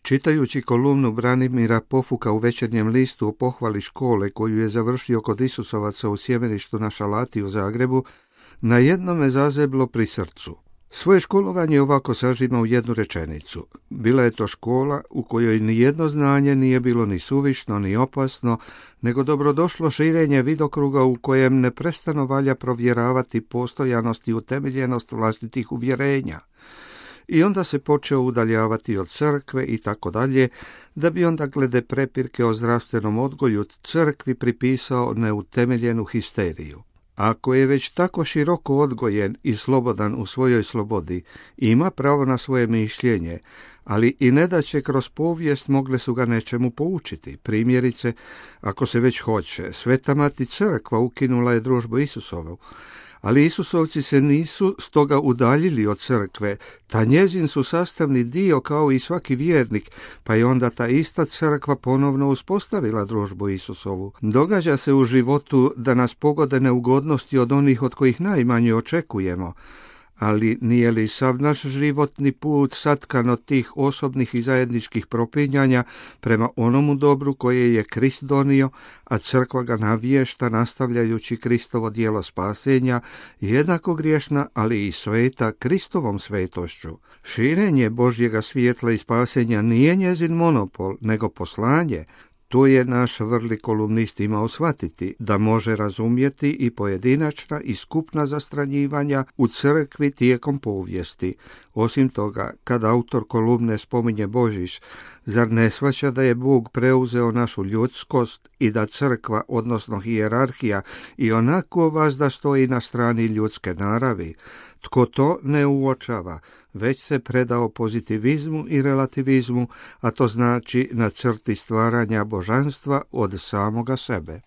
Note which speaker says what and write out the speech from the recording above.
Speaker 1: Čitajući kolumnu Branimira Pofuka u Večernjem listu o pohvali škole koju je završio kod Isusovaca u Sjemeništu na Šalati u Zagrebu, na jedno me zazeblo pri srcu. Svoje školovanje ovako sažima u jednu rečenicu. Bila je to škola u kojoj ni jedno znanje nije bilo ni suvišno, ni opasno, nego dobrodošlo širenje vidokruga u kojem neprestano valja provjeravati postojanost i utemeljenost vlastitih uvjerenja. I onda se počeo udaljavati od crkve i tako dalje, da bi onda glede prepirke o zdravstvenom odgoju crkvi pripisao neutemeljenu histeriju. Ako je već tako široko odgojen i slobodan u svojoj slobodi, ima pravo na svoje mišljenje, ali i nedaće kroz povijest mogle su ga nečemu poučiti. Primjerice, ako se već hoće, Sveta Mati Crkva ukinula je družbu Isusovu, ali Isusovci se nisu stoga udaljili od crkve, ta njezin su sastavni dio kao i svaki vjernik, pa je onda ta ista crkva ponovno uspostavila družbu Isusovu. Događa se u životu da nas pogode neugodnosti od onih od kojih najmanje očekujemo, ali nije li sav naš životni put satkan od tih osobnih i zajedničkih propinjanja prema onomu dobru koje je Krist donio, a crkva ga navješta nastavljajući Kristovo djelo spasenja, jednako griješna, ali i sveta Kristovom svetošću. Širenje Božjega svjetla i spasenja nije njezin monopol, nego poslanje. To je naš vrli kolumnist imao shvatiti, da može razumjeti i pojedinačna i skupna zastranjivanja u crkvi tijekom povijesti. Osim toga, kad autor kolumne spominje Božić, zar ne shvaća da je Bog preuzeo našu ljudskost i da crkva, odnosno hijerarhija, i onako vazda stoji na strani ljudske naravi? Tko to ne uočava, već se predao pozitivizmu i relativizmu, a to znači na crti stvaranja božanstva od samoga sebe.